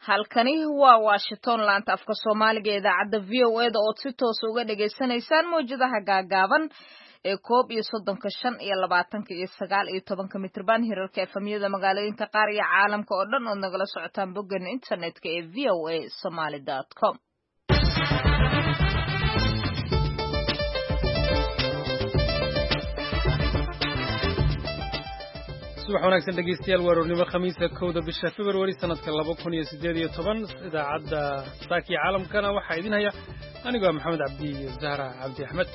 Halkani waa Washington, laanta afka Soomaaliga ee idaacadda VOA-da ood si toos uga dhagaysanaysaan mawjadaha gaagaaban ee 31-ka, 25-ka iyo 19-ka mitrban, hirarka FM-yada magaalooyinka qaar iyo caalamka oo dhan ood nagala socotaan boggeena internetka ee voasomali.com. Subax wanaagsan dhegeystayaal, waa aroornimo Khamiisa, 1-da bisha Februari sanadka 2018. Idaacadda saakii caalamkana waxaa idin haya anigoo Maxamed Cabdi iyo Zahra Cabdi Axmed.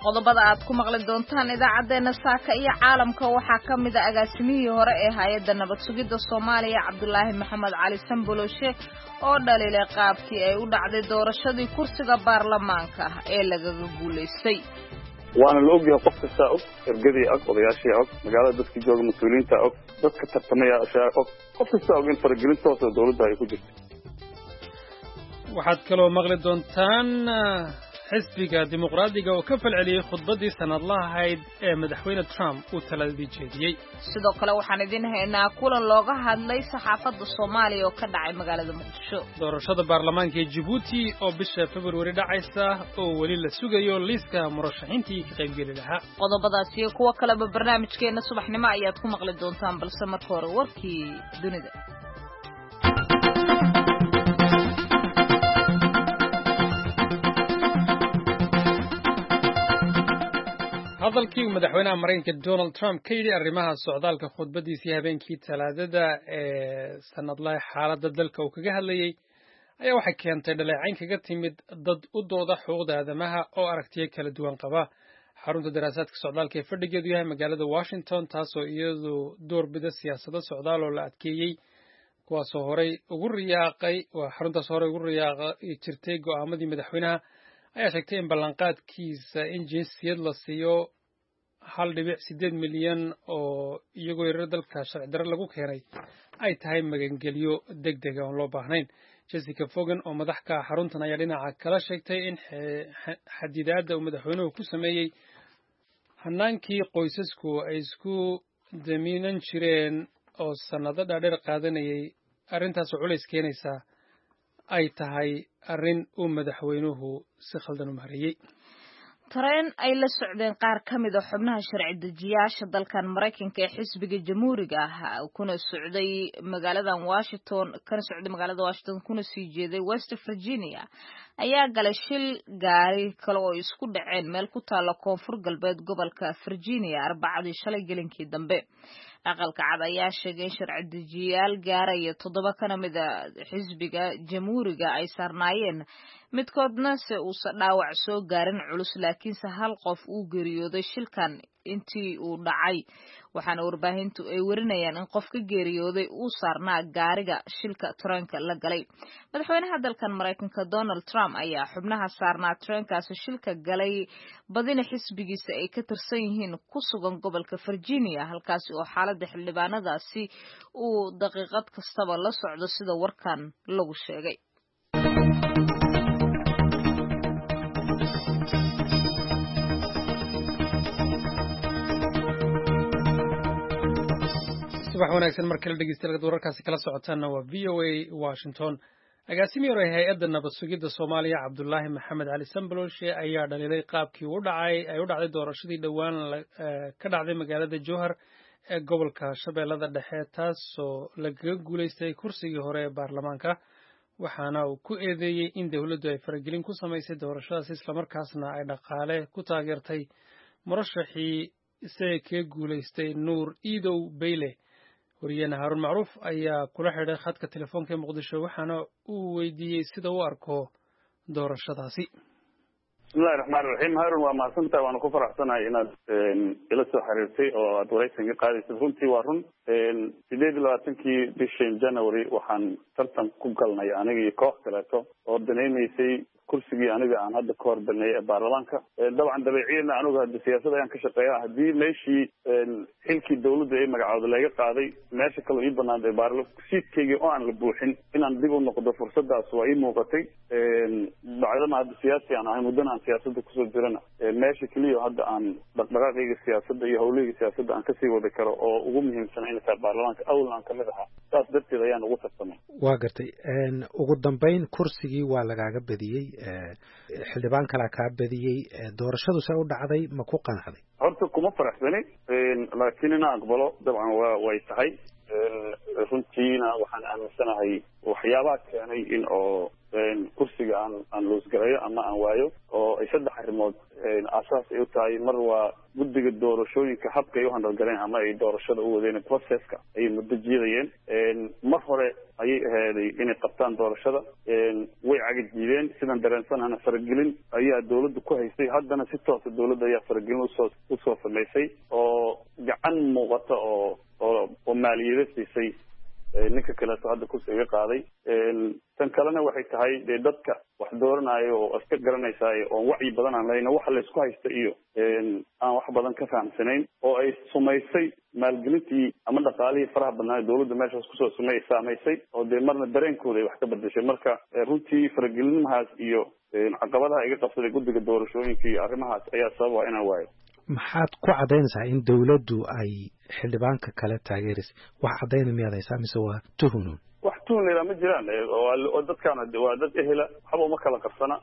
Qodobada aad ku maqli doontaan idaacaddeenna saaka iyo caalamka waxaa ka mid a agaasimihii hore ee hay-adda nabad sugidda Soomaaliya, Cabdulaahi Maxamed Cali Samboloshe, oo dhaliilay qaabkii ay u dhacday doorashadii kursiga baarlamaanka ee lagaga guulaystay. Waana la ogyahay, qof kastaa og, ergadii og, odayaashii og, magaalada dadka jooga, mas-uuliyiinta og, dadka tartamayaashaa og, qof kastaa og in faragelin toosa dowladda ay ku jirto. Waxaad kaloo maqli doontaan xisbiga Dimuqraadiga oo ka falceliyey khudbaddii sanadlaha ahayd ee madaxweyne Trump uu taladii jeediyey. Sidoo kale waxaan idiin haynaa kulan looga hadlay saxaafadda Soomaaliya oo ka dhacay magaalada Muqdisho. Doorashada baarlamaanka ee Jibuuti oo bisha Februari dhacaysa oo weli la sugayo liiska murashaxiintii ka qaybgeli lahaa. Qodobadaas iyo kuwo kaleba barnaamijkeenna subaxnimo ayaad ku maqli doontaan, balse marka hore warkii dunida. Hadalkii uu madaxweynaha Maraykanka Donald Trump ka yidhi arrimaha socdaalka khudbaddiisii habeenkii Talaadada ee sanadlaha xaaladda dalka uu kaga hadlayey ayaa waxay keentay dhaleecayn kaga timid dad u dooda xuquuqda aadamaha oo aragtiyo kala duwan qaba. Xarunta daraasaadka socdaalka ee fadhigeedu yahay magaalada Washington, taasoo iyadu doorbida siyaasado socdaal oo la adkeeyey, kuwaasoo horey ugu riyaaqay, waa xaruntaas horey ugu riyaaqi jirtay go'aamadii madaxweynaha, ayaa sheegtay in ballanqaadkiisa in jinsiyad la siiyo 1.8 milyan oo iyagoo yarar dalka sharci darre lagu keenay ay tahay magangelyo deg dega oon loo baahnayn. Jessica Fogan oo madax ka ah xaruntan ayaa dhinaca kala sheegtay in xadidaadda uu madaxweynuhu ku sameeyey hanaankii qoysasku ay isku damiinan jireen oo sannado dhaadheer qaadanayay, arrintaasoo culays keenaysa, ay tahay arrin uu madaxweynuhu si khaldan u maareeyey. Tareen ay la socdeen qaar ka mid a xubnaha sharci dejiyaasha dalkan Maraykanka ee xisbiga Jamhuuriga ah, kuna socday magaaladan Washington, kana socday magaalada Washington kuna sii jeeday West Virginia, ayaa galay shil gaari kale oo isku dhaceen meel ku taalla koonfur galbeed gobolka Virginia Arbacadii shalay gelinkii dambe. Aqalka Cad ayaa sheegay in sharci dejiyaal gaaraya toddoba kana mid a xisbiga Jamhuuriga ay saarnaayeen, midkoodna se uusan dhaawac soo gaarin culus, laakiinse hal qof uu geeriyooday shilkan intii uu dhacay. Waxaana warbaahintu ay warinayaan in qof ka geeriyooday uu saarnaa gaariga shilka tareenka la galay. Madaxweynaha dalkan Maraykanka Donald Trump ayaa xubnaha saarnaa tareenkaasi shilka galay, badina xisbigiisa ay ka tirsan yihiin, ku sugan gobolka Virginia, halkaasi oo xaaladda xildhibaanadaasi uu daqiiqad kastaba la socdo, sida warkan lagu sheegay. Subax wanaagsan mar kale dhegeystayaal, wararkaasi kala socotaanna waa VOA Washington. Agaasimihii hore hay-adda nabad sugidda Soomaaliya, Cabdulaahi Maxamed Cali Samboloshe, ayaa dhaliilay qaabkii u dhacay ay u dhacday doorashadii dhowaan ka dhacday magaalada Jowhar ee gobolka Shabeellada Dhexe, taasoo lagaga guulaystay kursigii hore ee baarlamaanka. Waxaana uu ku eedeeyey in dowladdu ay faragelin ku samaysay doorashadaas, islamarkaasna ay dhaqaale ku taageertay murashaxii isaga kaga guulaystay, Nuur Iidow Beyle. Wariyeene Haaruun Macruuf ayaa kula xidhay khadka telefoonka ee Muqdisho, waxaana uu weydiiyey sida u arko doorashadaasi. Bismillahi raxmaan raxiim. Haarun, waa mahadsantahay, waana ku faraxsanahay inaad ila soo xiriirtay oo aad waraysan ka qaadaysad. Runtii waa run, 28-kii bishan January waxaan tartan ku galnay aniga iyo koox kaleeto oo danaynaysay kursigii aniga aan hadda ka hor baneeyay ee baarlamaanka. Dabcan dabeeciyana anigu hadda siyaasad ayaan ka shaqeeya. Haddii meeshii xilkii dawladda ee magacooda laga qaaday, meesha kaloo ii banaanday seatkaygii oo aan la buuxin, inaan dib u noqdo fursadaas waa ii muuqatay. Bacdama hadda siyaasi aan ahay, muddana aan siyaasadda kusoo jirana, meesha keliya hadda aan dhaqdhaqaaqayga siyaasadda iyo hawlahayga siyaasadda aan kasii wadi karo oo ugu muhiimsan inay tahay baarlamaanka, awalna aan kamid ahaa, saas darteed ayaan ugu tartamay. Waa gartay. Ugu dambeyn kursigii waa lagaaga badiyey, xildhibaan kalaa kaa badiyey. Doorashadu se u dhacday, ma ku qanacday? Horta kuma faraxsani, laakiin inaan aqbalo dabcan way tahay. Runtiina waxaan aaminsanahay waxyaabaha keenay in oo kursiga aan loosgarayo ama aan waayo oo ay saddex arrimood aasaas ay u tahay. Mar waa guddiga doorashooyinka, habka ay u handalgaleen ama ay doorashada u wadeen, processka ayay muddo jiidayeen. Mar hore ayay aheeday inay qabtaan doorashada, way cagajiideen. Sidaan dareensanahana faragelin ayaa dawladda ku haysay. Haddana si toosa dawladda ayaa faragelin usoo samaysay oo gacan muuqata oo maaliyado siisay ninka kaleeto hadda kursi iga qaaday. Tan kalena waxay tahay dee dadka wax dooranayo oo iska garanaysaayo oon wacyi badan aan lahayn, waxa laysku haysta iyo aan wax badan ka fahamsanayn, oo ay sumaysay maalgelintii ama dhaqaalihii faraha badnaa dawladda meeshaas kusoo sumay saamaysay, oo dee marna dareenkooda ay wax ka bedeshay. Marka runtii faragelinimahaas iyo caqabadaha iga qabsaday guddiga doorashooyinka iyo arrimahaas ayaa sababa inaan waayo. Maxaad ku caddaynaysaa in dawladdu ay xildhibaanka kale taageeraysa? Wax caddayna miyaad haysaa mise waa tuhunun? Wax tuhun la yidhaha ma jiraan. Oo dadkaan waa dad ehela, waxba uma kala qarsana,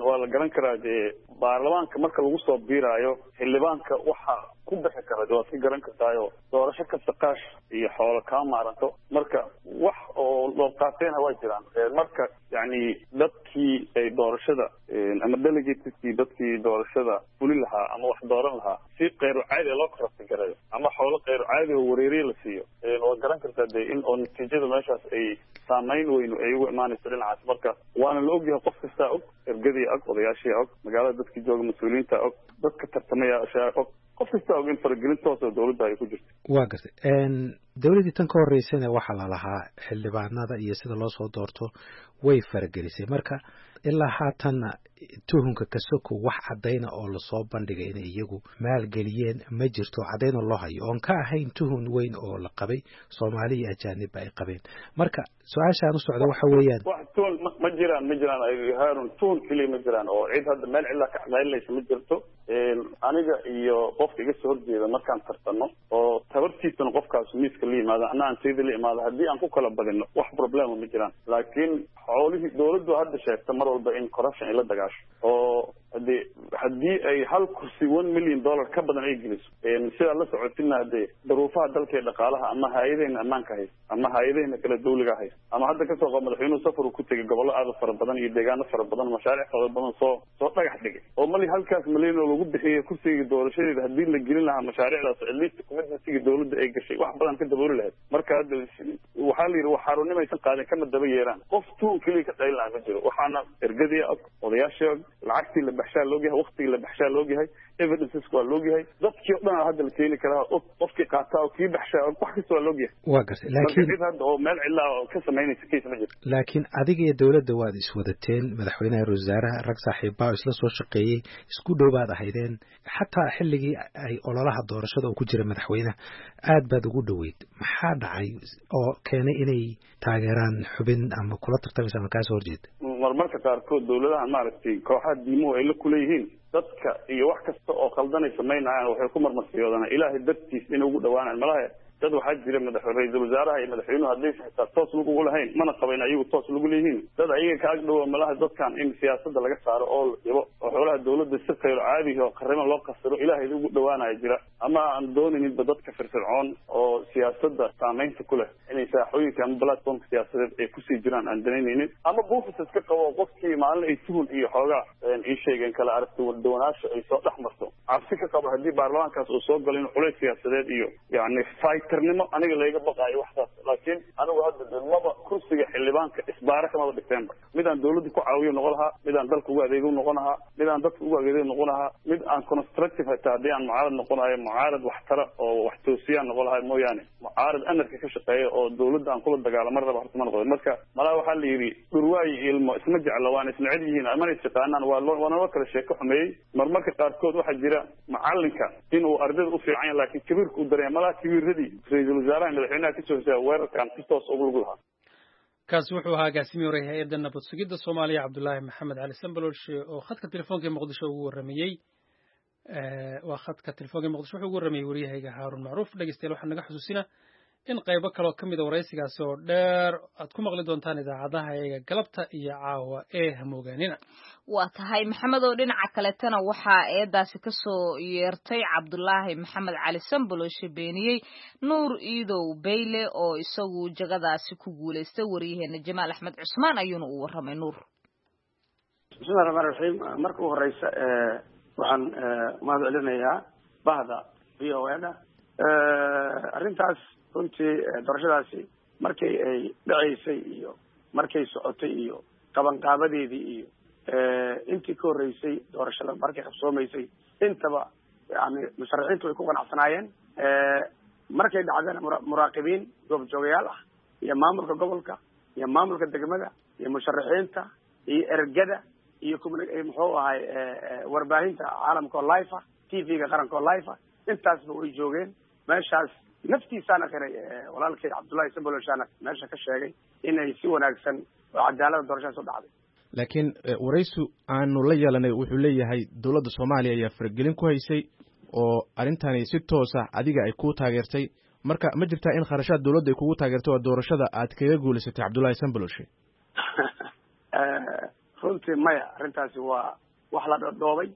waa la garan karaa. Dee baarlamaanka marka lagu soo biiraayo xildhibaanka waxa ku bixi kara waad ka garan kartaayo, doorasho kasta qaash iyo xoolo kaa maaranto. Marka wax oo loo qaateenha waa jiraan. Marka yacni dadkii ay doorashada ama delegateskii, dadkii doorashada fuli lahaa ama wax dooran lahaa, si keyru caadi loo korabti garayo ama xoolo keyru caadi oo wareeriye la siiyo, waad garan kartaa dee in oo natiijada meeshaas ay saamayn weynu ay ugu imaanayso dhinacaas. Marka waana la ogyahay, qof kastaa og, ergadii og, odayaashii og, magaalada dadkii jooga mas-uuliyiinta og, dadka tartamayaasha og, qof kastaa og in faragelin toos oo dawladda ay ku jirto. Waa gartay. Dawladdii tan ka horreysana waxaa lalahaa xildhibaanada iyo sida loo soo doorto way faragelisay. Marka ilaa haatanna tuhunka kasoko wax caddayna oo lasoo bandhigay inay iyagu maalgeliyeen ma jirto, caddayna loo hayo oon ka ahayn tuhun weyn oo la qabay, Soomaali iyo ajaanibba ay qabeen. Marka su-aashaan u socda waxa weeyaan, wax tuhun ma jiraan, ma jiraan Haarun, tuhun keliya ma jiraan oo cid hadda meel cidlaa ka cadaynaysa ma jirto. Aniga iyo qofka iga soo horjeeda markaan tartano oo tabartiisana qofkaas miiska la yimaado, ana aan sayda la imaado, haddii aan ku kala badino wax problema ma jiraan. Laakiin xoolihii dawladdu hadda sheegta mar walba in corruption ay la dagaasho, oo haddii ay hal kursi $1 million ka badan ay geliso, sidaa la socotina hadee daruufaha dalka ee dhaqaalaha ama hay-adahena ammaanka haysta ama hay-adahena kale dawliga haysta, ama hadda kasoo qaba madaxweynuhu safar uu ku tegay gobollo aada fara badan iyo deegaano fara badan, mashaariic fara badan soo dhagax dhigay, oo mali halkaas malyan oo lagu bixiyay kursiga doorashadeeda haddii la gelin lahaa mashaariicdaas, at least commitmentiga dawladda ay gashay wax badan ka dabooli lahayd. Marka hadda waxaa la yidhi wax xaruunimaysan qaadin kama daba yeeraan. Qof tuun keliya ka qaylin lahaa ma jiro. Waxaana ergadii og, odayaashii og, lacagtii la baxshaa loogyahay, waktigii la baxshaa loogyahay, evidenceska waa loogyahay, dadkii o dhan hadda la keeni karaa og, qofkii qaataa og, kii baxshaa og, wax kasta waa loogyahay. Waa gartay, laakiin cid hadda oo meel cidlaa oo ka samaynaysa case ma jirto. Laakiin adiga iyo dawladda waad iswadateen, madaxweynaha, ra wasaaraha, rag saaxiibbaa isla soo shaqeeyey, isku dhow baad ahaydeen. Xataa xilligii ay ololaha doorashada uu ku jira madaxweynaha aad baad ugu dhoweyd. Maxaa dhacay oo keenay inay taageeraan xubin ama kula tartamaysa ama kaasoo horjeeda? Marmarka qaarkood dawladaha maaragtay kooxaha diimuhu ay la kuleeyihiin dadka iyo wax kasta oo khaldanay samaynayaan, waxay ku marmarsiyoodaan Ilaahay dartiis inay ugu dhawaanaan. Malaha dad waxaa jira madax ra-iisul wasaaraha iyo madaxweynuhu haddaysan xitaa toos lug ugu lahayn, mana qabayn ayagu toos lagu leeyihiin, dad ayaga ka ag dhowa malaha dadkan in siyaasadda laga saaro oo la dhibo oo xoolaha dawladda si khayro caadihi oo qarrimo loo qasiro Ilaahay ugu dhawaanaya jira, ama aan doonayninba dadka firfircoon oo siyaasadda saamaynta ku leh inay saaxooyinka ama platformka siyaasadeed ay kusii jiraan aan danaynaynin, ama buufis iska qabo qofkii maalin ay tuhun iyo xoogaa ii sheegeen kala aragti dawanaasha ay soo dhex marto, cabsi ka qabo haddii baarlamaankaas uu soo galo in culays siyaasadeed iyo yacni fighter-nimo aniga layga baqaayo waxsaas. Laakiin anigu hadda maba kursiga xildhibaanka isbaara kamaba dhigteenba. Mid aan dawladda ku caawiyo noqon lahaa, mid aan dalka ugu adeego noqon lahaa, mid aan dadka ugu adeego noqon lahaa, mid aan constructive hataa haddii aan mucaarad noqonayo mucaarad waxtara oo wax toosiyaan noqon lahaa mooyaane, mucaarad anarka ka shaqeeya oo dawladda aan kula dagaalamo mar raba horta ma noqdo. Marka malaha waxaa la yidhi dhurwaayi ilmo isma jecla, waana isnecel yihiin mana isyaqaanaan, waa loo waana loo kala sheeko xumeeyey. Marmarka qaarkood waxaa jira macalinka inuu ardayda u fiican yahay laakiin kabiirka u dareeya, malaha kabiiradii ra-iisul wasaaraha madaxweynaha kasoo horseeda weerarkan si toos ugu lug lahaa. Kaasi wuxuu ahaa agaasimii hore hay-adda nabad sugidda Soomaaliya, Cabdulaahi Maxamed Cali Sambalolshe, oo khadka telefoonka ee Muqdisho ugu warramayey. Waa khadka telefoonka ee Muqdisho wuxuu ugu warramayey waryahayga Haarun Macruuf. Dhegeystayaal, waxaan naga xusuusinaa in qaybo kaloo ka mida waraysigaasi oo dheer aad ku maqli doontaan idaacadaha eega galabta iyo caawa ee hamoogaanina. Waa tahay, Maxamed, oo dhinaca kaletana waxaa eedaasi kasoo yeertay Cabdulaahi Maxamed Cali Samboloshe beeniyey Nuur Iidow Beyle oo isagu jagadaasi ku guulaystay. Waryaheena Jamaal Axmed Cusmaan ayuuna u warramay Nuur. Bismillahi raxmaan raxiim. Marka u horeysa waxaan mahad celinayaa bahda VOA da. Arrintaas runtii, doorashadaasi markay ay dhaceysay iyo markay socotay iyo qabanqaabadeedii iyo intii ka horreysay doorashada markay qabsoomaysay, intaba yani musharaxiintu way ku qanacsanaayeen. Markay dhacdana muraaqibiin goobjoogayaal ah iyo maamulka gobolka iyo maamulka degmada iyo musharaxiinta iyo ergada iyo muxuu ahay warbaahinta caalamka oo live ah, TV-ga qaranka oo live ah, intaasba way joogeen meeshaas. Naftiisaana qiray walaalkay Cabdullahi Samboloshaana meesha ka sheegay inay si wanaagsan oo cadaalada doorashadaas u dhacday. Laakiin waraysu aanu la yeelanay wuxuu leeyahay dowladda Soomaaliya ayaa faragelin ku haysay oo arrintani si toosa adiga ay ku taageertay. Marka ma jirtaa in kharashaad dowladda ay kugu taageertay oo doorashada aad kaga guulaysatay Cabdullahi Samboloshe? Runtii maya, arrintaasi waa wax la dhodhoobay,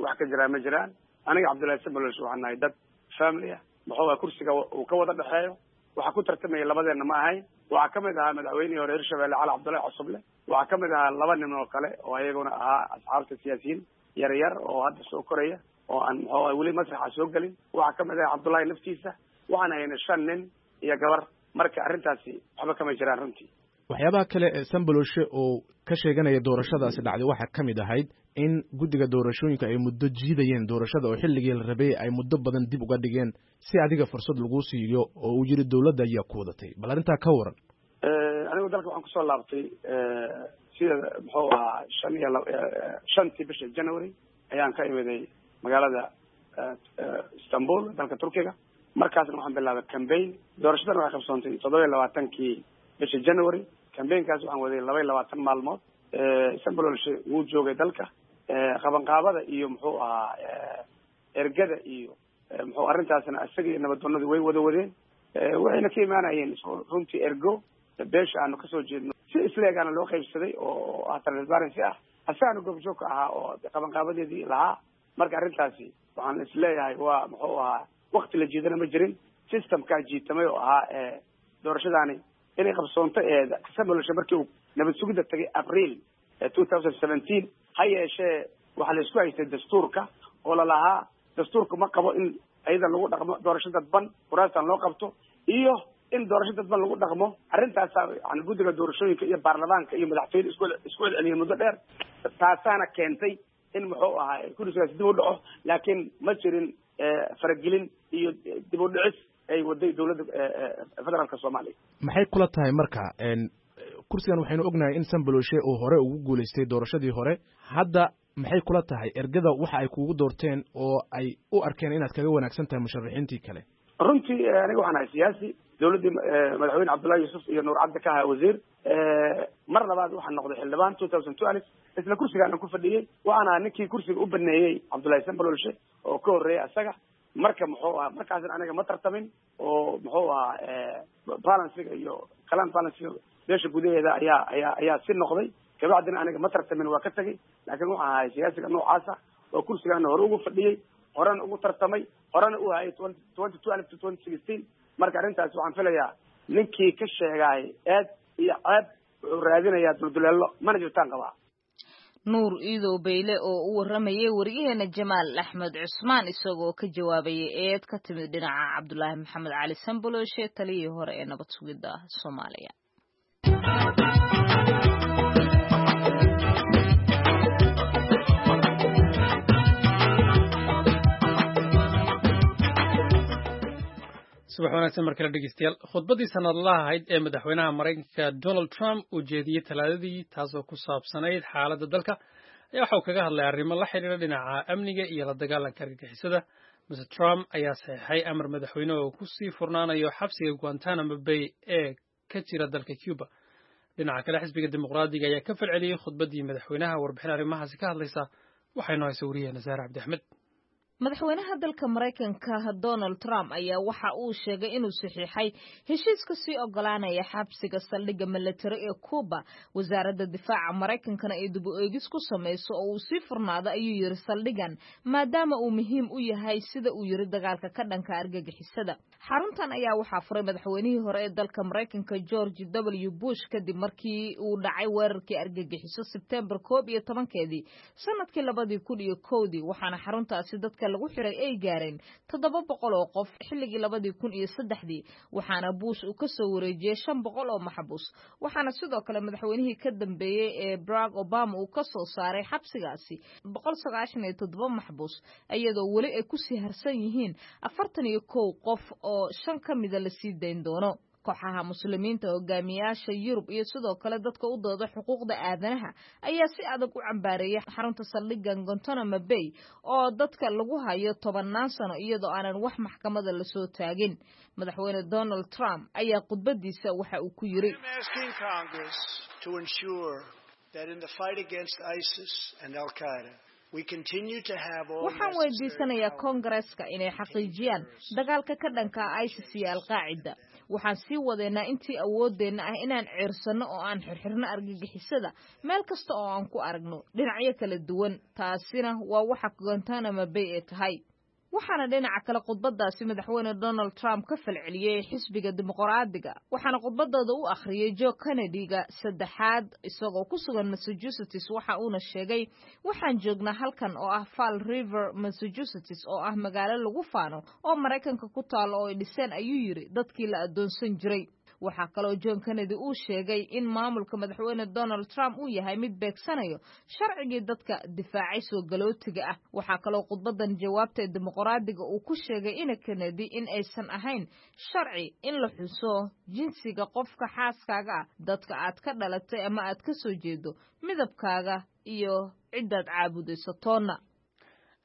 wax ka jiraa ma jiraan. Aniga Cabdullahi Samboloshe waxaan nahay dad family ah, muxuu aha kursiga uu ka wada dhexeeyo. Waxaa ku tartamaya labadeenna ma ahayn. Waxaa kamid ahaa madaxweynihii hore Hirshabelle Cali Cabdullahi Cosoble, waxaa kamid ahaa laba nin oo kale oo ayaguna ahaa asxaabta siyaasiyiin yar yar oo hadda soo koraya oo aan muxuu aha weli masraxa soo gelin. Waxaa kamid ahaa Cabdullahi naftiisa. Waxaan haynay shan nin iyo gabar. Marka arrintaasi waxba kama jiraan runtii. Waxyaabaha kale ee Samboloshe oo ka sheeganaya doorashadaasi dhacday waxaa ka mid ahayd in guddiga doorashooyinka ay muddo jiidayeen doorashada oo xilligii la rabay ay muddo badan dib uga dhigeen si adiga fursad lagu siiyo, oo uu yiri dowladda ayaa ku wadatay. Bal arrintaa ka waran. Anigu dalka waxaan kusoo laabtay sida muxuu ahaa shan iyo shantii bisha January ayaan ka imiday magaalada Istanbul, dalka Turkiga. Markaasna waxaan bilaabay campaign. Doorashadan waxay qabsoontay 27-kii bisha January. Campaignkaas waxaan waday 22 maalmood. Sambololshe wuu joogay dalka, qabanqaabada iyo muxuu ahaa ergada iyo muxuu arrintaasna isaga iyo nabaddoonadu way wada wadeen. Waxayna ka imaanayeen runtii ergo beesha aanu kasoo jeedno si isleegaana loo qaybsaday oo ah transparency ah, asagaana goobjoog ka ahaa oo qabanqaabadeedii lahaa. Marka arrintaasi waxaan isleeyahay waa muxuu ahaa wakti la jiidana ma jirin, systemkaa jiitamay oo ahaa doorashadaani inay qabsoonto. Ee Samboloshe markii uu nabad sugidda tagay April 2017, ha yeeshee waxaa la isku haystay dastuurka oo lalahaa dastuurka ma qabo in ayada lagu dhaqmo doorasho dadban, kuraastan loo qabto iyo in doorasho dadban lagu dhaqmo. Arrintaasaa yani guddiga doorashooyinka iyo baarlamaanka iyo madaxtooyada isku celceliyay muddo dheer, taasaana keentay in muxuu ahaa kursigaas dib u dhaco. Laakiin ma jirin faragelin iyo dib u dhicis ay waday dowladda federaalka Soomaaliya. Maxay kula tahay marka kursigan? Waxaynu ognahay in Samboloshe uu hore ugu guulaystay doorashadii hore. Hadda maxay kula tahay ergada waxa ay kugu doorteen oo ay u arkeen inaad kaga wanaagsan tahay musharaxiintii kale? Runtii aniga waxaan ahay siyaasi dowladdii madaxweyne Cabdullahi Yuusuf iyo Nuur Cabdi ka ahaa wasiir. Mar labaad waxaan noqday xildhibaan 2012, isla kursigaan aan ku fadhiyey. Waxaan ahaa ninkii kursiga u baneeyey Cabdullahi Sambololshe oo ka horreeyay asaga. Marka muxuu ahaa markaasna aniga ma tartamin oo muxuu ahaa balansiga iyo kalaan balansiga beesha gudaheeda ayaa si noqday. Kabacdina aniga ma tartamin, waa ka tegay. Laakiin waxaan ahay siyaasiga noocaasa oo kursigaana hore ugu fadhiyey, horena ugu tartamay, horena u hayay 2012 to 2016. Marka arrintaas waxaan filayaa ninkii ka sheegaay eed iyo ceeb wuxuu raadinayaa dulduleelo, mana jirtaan qabaa. Nuur Iidow Beyle oo u warramayay wariyaheena Jamaal Axmed Cusmaan, isagoo ka jawaabayay eed ka timid dhinaca Cabdulaahi Maxamed Cali Samboloshe, taliyihii hore ee nabad sugidda Soomaaliya. Subax wanaagsan mar kale, dhegeystayaal. Khudbaddii sanadlaha ahayd ee madaxweynaha Maraykanka Donald Trump uu jeediyey Talaadadii, taasoo ku saabsanayd xaaladda dalka, ayaa waxa uu kaga hadlay arrimo la xidhiidha dhinaca amniga iyo la dagaalanka argagixisada. Mr Trump ayaa saxeexay amar madaxweyne oo ku sii furnaanayo xabsiga Guantanamo Bay ee ka jira dalka Cuba. Dhinaca kale, xisbiga Dimuqraadiga ayaa ka falceliyey khudbaddii madaxweynaha. Warbixin arrimahaasi ka hadlaysa waxay noo haysa wariyaheena Saare Cabdi Axmed. Madaxweynaha dalka Maraykanka Donald Trump ayaa waxa uu sheegay inuu saxiixay heshiiska sii ogolaanaya xabsiga saldhigga milatari ee Cuba, wasaaradda difaaca Maraykankana ay dib u eegis ku samayso oo uu sii furnaado, ayuu yiri, saldhiggan maadaama uu muhiim u yahay, sida uu yiri, dagaalka ka dhanka argagixisada. Xaruntan ayaa waxaa furay madaxweynihii hore ee dalka Maraykanka George W Bush kadib markii uu dhacay weerarkii argagixiso Sebtembar 11-keedii sanadkii 2001-dii, waxaana xaruntaasi dadka lagu xiray ay gaareen 700 oo qof xilligii 2003-dii, waxaana Bush uu ka soo wareejiyey 500 oo maxbuus, waxaana sidoo kale madaxweynihii ka dambeeyey ee Barack Obama uu ka soo saaray xabsigaasi 197 maxbuus, iyadoo weli ay kusii harsan yihiin 41 qof oo 5 ka mida lasii dayn doono. Kooxaha Muslimiinta, hogaamiyaasha Yurub iyo sidoo kale dadka u dooda xuquuqda aadanaha ayaa si adag u cambaareeyay xarunta saldhiggan Guantanamo Bay oo dadka lagu hayo tobannaan sano iyadoo aanan wax maxkamada lasoo taagin. Madaxweyne Donald Trump ayaa khudbadiisa waxa uu ku yiri: "Waxaan weydiisanayaa Koongareeska inay xaqiijiyaan dagaalka ka dhanka ah ISIS iyo Alqaacida. Waxaan sii wadeynaa intii awooddeenna ah inaan ceersanno oo aan xirxirno argagixisada meel kasta oo aan ku aragno dhinacyo kala duwan. Taasina waa waxa Guantanamo Bay ee tahay." Waxaana dhinaca kale khudbadaasi madaxweyne Donald Trump ka falceliyey xisbiga Dimuqraadiga, waxaana khudbadooda u akhriyey Joe Kennedy-ga saddexaad isagoo ku sugan Massachusetts. Waxa uuna sheegay: "Waxaan joognaa halkan oo ah Fall River, Massachusetts, oo ah magaalo lagu faano oo Maraykanka ku taalo oo ay dhiseen, ayuu yidhi, dadkii la addoonsan jiray." Waxaa kaloo John Kennedy uu sheegay in maamulka madaxweyne Donald Trump uu yahay mid beegsanayo sharcigii dadka difaacay soo galootiga ah. Waxaa kaloo khudbadan jawaabta ee Dimuqraadiga uu ku sheegay ina Kennedy in aysan ahayn sharci in la xuso jinsiga qofka xaaskaaga ah, dadka aad ka dhalatay ama aad ka soo jeedo, midabkaaga iyo ciddaad caabudayso toonna.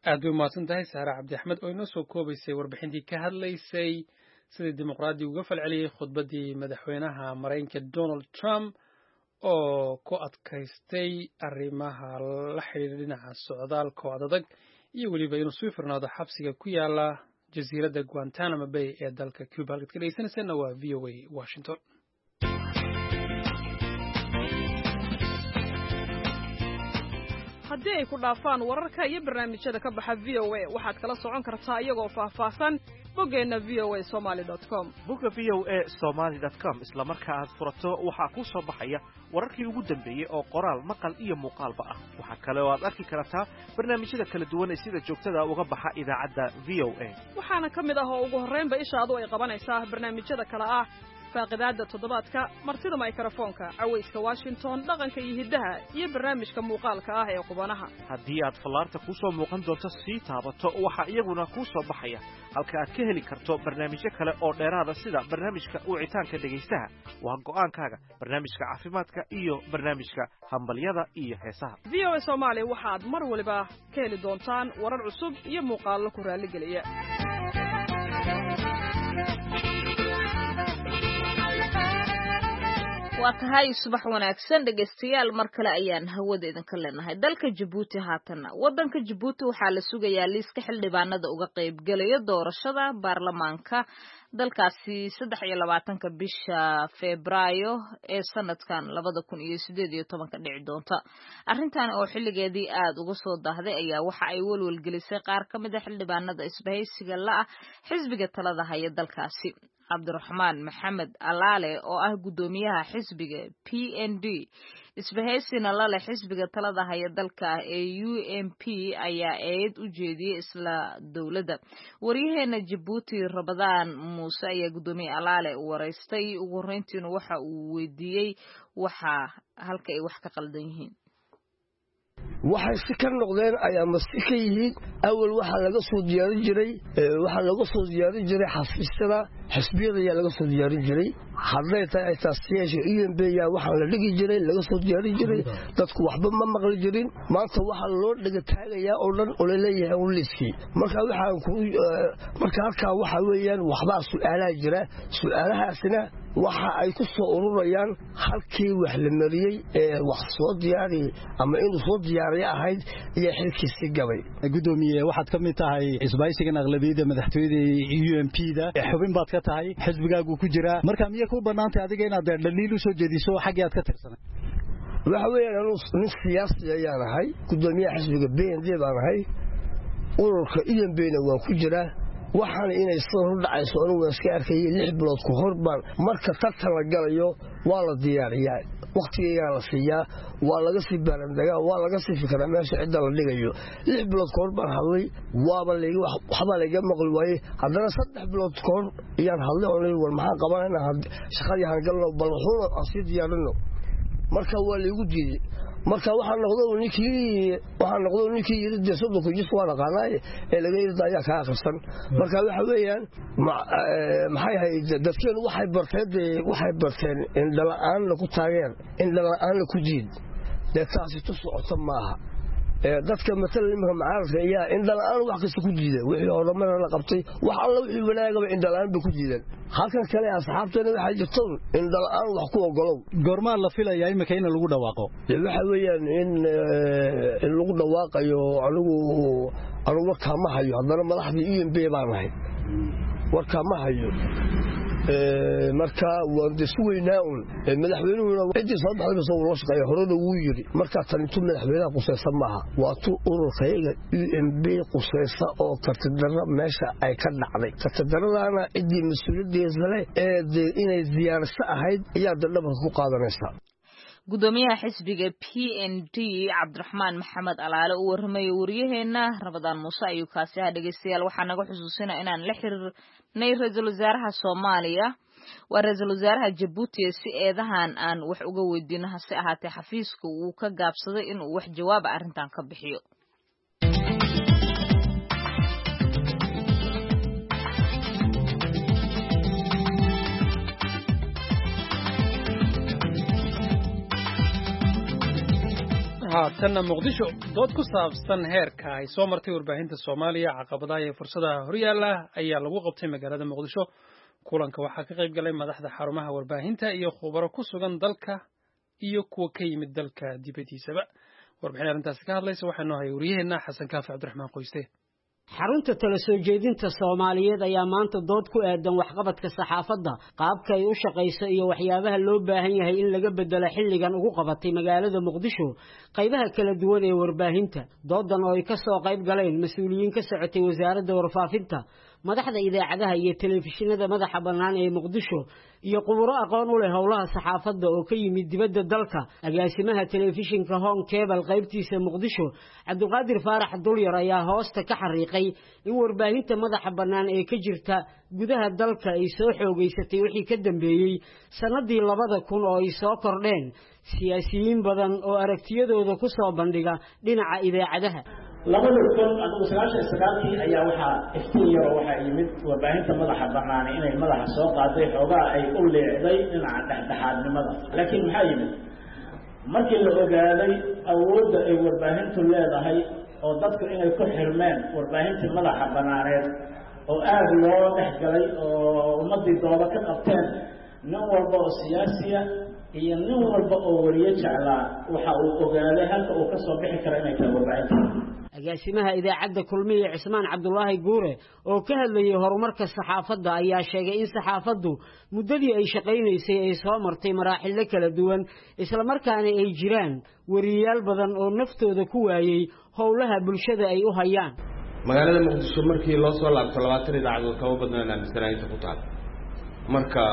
Aad bay umahadsan tahay Saare Cabdi Axmed oo inoo soo koobaysay warbixintii ka hadlaysay sidii Dimuqraadigu uga falceliyey khudbaddii madaxweynaha Maraykanka Donald Trump oo ku adkaystay arrimaha la xidhiidha dhinaca socdaalka oo adadag iyo weliba inuu sii furnaado xabsiga ku yaala jasiiradda Guantanamo Bay ee dalka Cuba. Halkaad ka dhegeysanayseena waa VOA Washington. Haddii ay ku dhaafaan wararka iyo barnaamijyada ka baxa VOA, waxaad kala socon kartaa iyagoo faahfaahsan boggeenna voa somali com. Bogga voa somali com isla marka aad furato, waxaa kuu soo baxaya wararkii ugu dambeeyey oo qoraal, maqal iyo muuqaalba ah. Waxaa kale oo aad arki kartaa barnaamijyada kala duwan ee sida joogtada uga baxa idaacadda VOA. Waxaana ka mid ah oo ugu horraynba ishaadu ay qabanaysaa barnaamijyada kale ah: faaqidaadda toddobaadka, martida maykarafoonka, cawayska Washington, dhaqanka iyo hiddaha, iyo barnaamijka muuqaalka ah ee qubanaha. Haddii aad fallaarta kuu soo muuqan doonto sii taabato, waxaa iyaguna kuu soo baxaya halka aad ka heli karto barnaamijyo kale oo dheeraada, sida barnaamijka wicitaanka dhegaystaha, waa go'aankaaga, barnaamijka caafimaadka iyo barnaamijka hambalyada iyo heesaha. VOA Soomaali waxaad mar waliba ka heli doontaan warar cusub iyo muuqaallo ku raalligeliya. Waa tahay, subax wanaagsan dhegaystayaal, mar kale ayaan hawada idinka leenahay. Dalka Jabuuti haatanna, waddanka Jabuuti waxaa la sugayaa liiska xildhibaanada uga qaybgelaya doorashada baarlamaanka dalkaasi 23-ka bisha Febraayo ee sanadkan 2018-ka dhici doonta. Arrintan oo xilligeedii aada uga soo daahday ayaa waxa ay welwelgelisay qaar ka mid a xildhibaanada isbahaysiga la ah xisbiga talada haya dalkaasi. Cabdiraxmaan Maxamed Alaale oo ah guddoomiyaha xisbiga PND, isbahaysina la leh xisbiga talada haya dalka ee UMP, ayaa eed u jeediyey isla dowladda. Waryaheena Jabuuti Rabadaan Muuse ayaa guddoomiye Alaale waraystay. Ugu horreyntiina waxa uu weydiiyey waxa halka ay wax ka qaldan yihiin. Waxay si ka noqdeen ayaa masi ka yihiin. Awal waxaa laga soo diyaarin jiray, waxaa laga soo diyaarin jiray xafiisyada xisbiyada ayaa laga soo diyaarin jiray. Hadday tahay xitaa UMP yaa waxaa la dhigi jiray, laga soo diyaarin jiray. Dadku waxba ma maqli jirin. Maanta waxaa loo dhiga taagayaa oo dhan oo laleeyahay un liiskii. Marka waxaan ku marka halkaa waxaa weeyaan waxbaa su'aalaha jira, su'aalahaasina Waxa ay ku soo ururayaan halkii wax la mariyey ee wax soo diyaariyey ama inuu soo diyaariyo ahayd iyo xilkiisii gabay. Gudoomiye, waxaad ka mid tahay isbahaysigan aqlabiyadda madaxtooyada UMP da, xubin baad ka tahay, xisbigaagu ku jiraa, marka miyay kuu bannaantay adiga inaad dhaliil u soo jeediso xaggii aad ka tirsanay? Waxa weeyaan, anuu nin siyaasi ayaan ahay, gudoomiyaha xisbiga BND baan ahay, ururka UMP na waan ku jiraa. Waxaana inay sida hor dhacayso anigu waan iska arkayay 6 bilood ku hor baan. Marka tartan la galayo waa la diyaariyaa, wakhtigeygaa la siiyaa, waa laga sii baarandegaa, waa laga sii fikiraa meesha cidda la dhigayo. 6 bilood ka hor baan hadlay, waaba waxbaa layga maqli waayey. Haddana 3 bilood ka hor ayaan hadlay oo war maxaan qabanayna, shaqadii hangalno, bal wuxuuna aan sii diyaarino. Marka waa laygu diiday. Marka waxaa noqdo ninkii yiri dee 30 jis waa dhaqaanaaye ee laga yiri ayaa kaa akhrisan. Marka waxa weeyaan, maxay ahayd, dadkeenu waxay barteen dee, waxay barteen indhala-aan lagu taageer, indhala-aan laku diid. Dee taasi tu socoto maaha. Dadka matalan iminka macaaradka ayaa indhala-aan wax kasta ku diida, wixii horumar la qabtay, wax alla wixii wanaagaba indhala-aan bay ku diideen. Halkan kale asxaabteena waxaa jirto indhala-aan wax ku ogolow. Goormaa la filayaa iminka in lagu dhawaaqo? Waxa weeyaan in lagu dhawaaqayo anigu warkaa ma hayo. Haddana madaxdii UMP baan ahay, warkaa ma hayo. Marka waan de sugaynaa un madaxweynuhuna ciddii soo baxday bas uu la shaqeeya, horena wuu yidhi. Marka tan intuu madaxweynaha qusaysa maaha, waa tu ururkayaga UMP qusaysa oo kartidarro meesha ay ka dhacday. Kartidarradaana ciddii mas-uuliyaddeeda leh ee dee inay diyaarso ahayd ayaa de dhabarka ku qaadanaysa. Gudoomiyaha xisbiga PND Cabdiraxmaan Maxamed Alaale uu warramayo wariyaheena Ramadaan Muuse ayuu kaasi ahaa. Dhegeystayaal, waxaa naga xusuusinaa inaan la xiriirnay ra-iisul wasaaraha Soomaaliya, waa ra-iisul wasaaraha Jabuuti, si eedahan aan wax uga weydiino, hase ahaatee xafiiska uu ka gaabsaday inuu wax jawaaba arrintan ka bixiyo. Haatanna Muqdisho. Dood ku saabsan heerka ay soo martay warbaahinta Soomaaliya, caqabadaha iyo fursadaha horyaala ayaa lagu qabtay magaalada Muqdisho. Kulanka waxaa ka qayb galay madaxda xarumaha warbaahinta iyo khubaro ku sugan dalka iyo kuwa ka yimid dalka dibadiisaba. Warbixin arrintaasi ka hadlaysa waxaa noo hayay wariyaheenna Xasan Kaafi Cabdiraxmaan Qoyste. Xarunta tala soo jeedinta Soomaaliyeed ayaa maanta dood ku aadan waxqabadka saxaafadda, qaabka ay u shaqayso iyo waxyaabaha loo baahan yahay in laga bedelo xilligan ugu qabatay magaalada Muqdisho qaybaha kala duwan ee warbaahinta. Doodan oo ay ka soo qayb galeen mas-uuliyiin ka socotay wasaaradda warfaafinta, madaxda idaacadaha iyo telefishinada madaxa bannaan ee Muqdisho, iyo khuburo aqoon u leh howlaha saxaafadda oo ka yimid dibadda dalka. Agaasimaha telefishinka Home Cable qaybtiisa Muqdisho, Cabdiqaadir Faarax Dulyar, ayaa hoosta ka xariiqay in warbaahinta madaxa bannaan ee ka jirta gudaha dalka ay soo xoogeysatay wixii ka dambeeyey sanadii 2000 oo ay soo kordheen siyaasiyiin badan oo aragtiyadooda ku soo bandhiga dhinaca idaacadaha. 2000 adigu 99-kii ayaa waxaa iftiin yaroo waxaa yimid warbaahinta madaxa banaani inay madaxa soo qaaday, xoogaa ay u leecday dhinaca dhexdhexaadnimada. Laakiin maxaa yimid markii la ogaaday awoodda ay warbaahintu leedahay oo dadku inay ku xirmeen warbaahintii madaxa banaaneed oo aada loo dhex galay oo ummaddii dooda ka qabteen, nin walba oo siyaasiya iyo nin walba oo wariye jeclaa waxa uu ogaaday halka uu ka soo bixi karo inay tahay warbaahinta. Agaasimaha idaacadda Kulmiye Cismaan Cabdulaahi Guure oo ka hadlayay horumarka saxaafadda ayaa sheegay in saxaafaddu muddadii ay shaqaynaysay ay soo martay maraaxilo kala duwan, islamarkaana ay jiraan wariyaal badan oo naftooda ku waayey howlaha bulshada ay u hayaan. Magaalada Muqdisho markii loo soo laabto 20 idaacadood kama badnaan aaminsanahay inta ku taal, marka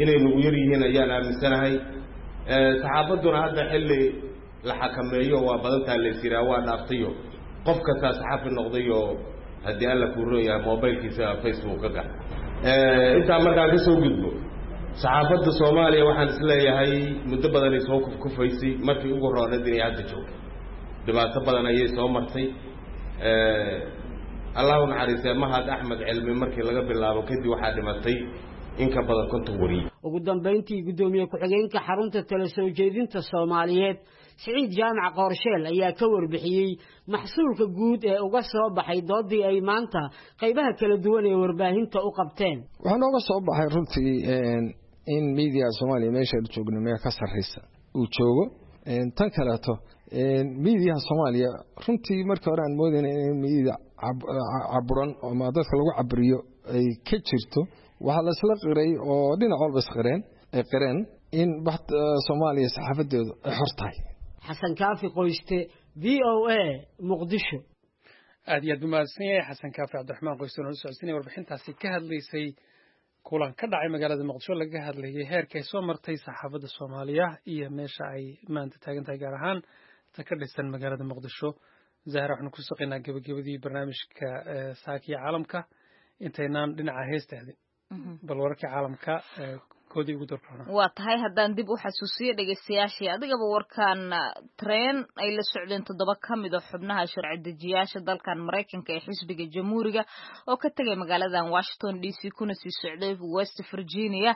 inay nagu yar yihiin ayaan aaminsanahay. Saxaafadduna hadda xilli la xakameeyo waa badantaa lays yiraa waa dhaaftayo, qof kastaa saxaafi noqdayoo haddii alla kuu roon yahay mobilkiisa Facebook ka gal. Intaa markaan ka soo gudbo, saxaafadda Soomaaliya waxaan isleeyahay muddo badanay soo kufkufaysay, markii ugu rooneed inay hadda joogto dhibaato badan ayay soo martay. Allahu naxariistee Mahad Axmed Cilmi markii laga bilaabo kadib waxaa dhimatay in ka badan 50 wariye. Ugu dambeyntii, gudoomiye ku-xigeenka xarunta tala soo jeedinta Soomaaliyeed Siciid Jaamac Qoorsheel ayaa ka warbixiyey maxsuulka guud ee uga soo baxay doodii ay maanta qaybaha kala duwan ee warbaahinta u qabteen. Waxaa nooga soo baxay runtii in miidiyaha Soomaaliya meesha aynu joogno meel ka sarreysa uu joogo. Tan kaleeto, miidiyaha Soomaaliya runtii markii hore aan moodayna in miidiya caburan ama dadka lagu caburiyo ay ka jirto, waxaa la isla qiray oo dhinac walba isqireen ay qireen in Soomaaliya saxaafadeedu ay xor tahay. Xasan Kaafi Qoyste, VOA, Muqdisho. Aad iyo aad buu mahadsan yahay Xasan Kaafi Cabdiraxmaan Qoyste oo nala socodsiinaya warbixintaasi ka hadlaysay kulan ka dhacay magaalada Muqdisho, laga hadlayay heerka ay soo martay saxaafadda Soomaaliya iyo meesha ay maanta taagan tahay, gaar ahaan ta ka dhisan magaalada Muqdisho. Zahra, waxaanu ku saqaynaa gebagabadii barnaamijka saakiya caalamka. Intaynaan dhinaca heesta aadin, bal wararkii caalamka koodii ugu doorka. Waa tahay, haddaan dib u xasuusiyo dhegeystayaashii adigaba warkan, tareen ay la socdeen 7 ka mid a xubnaha sharci dejiyaasha dalkan Maraykanka ee xisbiga Jamhuuriga oo ka tegay magaaladan Washington DC kuna sii socday West Virginia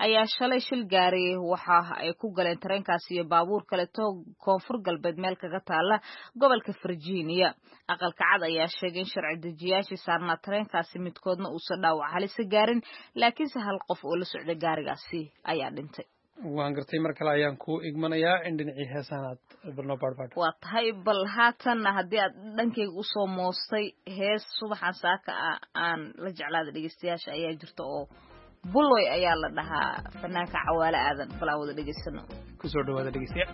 ayaa shalay shil gaaray. Waxa ay ku galeen tareenkaasi iyo baabuur kaleto koonfur galbeed meel kaga taala gobolka Virginia. Aqalka Cad ayaa sheegay in sharci dejiyaashii saarnaa tareenkaasi midkoodna uusan dhaawac halisa gaarin, laakiinse hal qof oo la socday gaarigaas ayaa dhintay. Waan gartay. Mar kale ayaan ku igmanayaa in dhinacii heesaan aad bal noo baadhbaadho. Waa tahay. Bal haatanna haddii aad dhankayga usoo moostay, hees subaxan saaka ah aan la jeclaada dhegeystayaasha ayaa jirta oo Buloy ayaa la dhahaa, fanaanka Cawaale Aadan. Bal aan wada dhegeysano. Kusoo dhawaada, dhegeystayaal.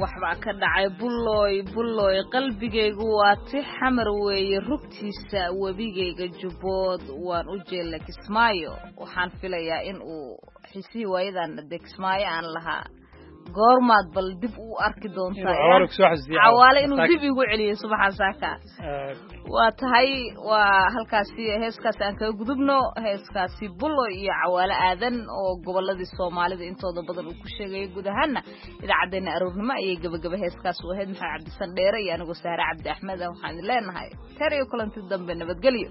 Waxbaa ka dhacay Bullooy, Bullooy, qalbigaygu waa ti Xamar weeye rugtiisa, webigayga Jubbood, waan u jeella Kismaayo. Waxaan filayaa in uu xisihii waayadan dee Kismaayo aan lahaa goormaad bal dib u arki doontaa, Cawaale inuu dib igu celiyo subaxan saaka. Waa tahay, waa halkaasi heeskaasi aan kaga gudubno, heeskaasi Bulo iyo Cawaale Aadan oo goboladii Soomaalida intooda badan uu ku sheegayay. Guud ahaana idaacaddeenna aroornimo ayay gebagaba heeskaas u ahayd. Maxamed Cabdisan Dheere iyo anigoo Saare Cabdi Axmed ah waxaan idin leenahay ter iyo kulanti dambe, nabadgelyo.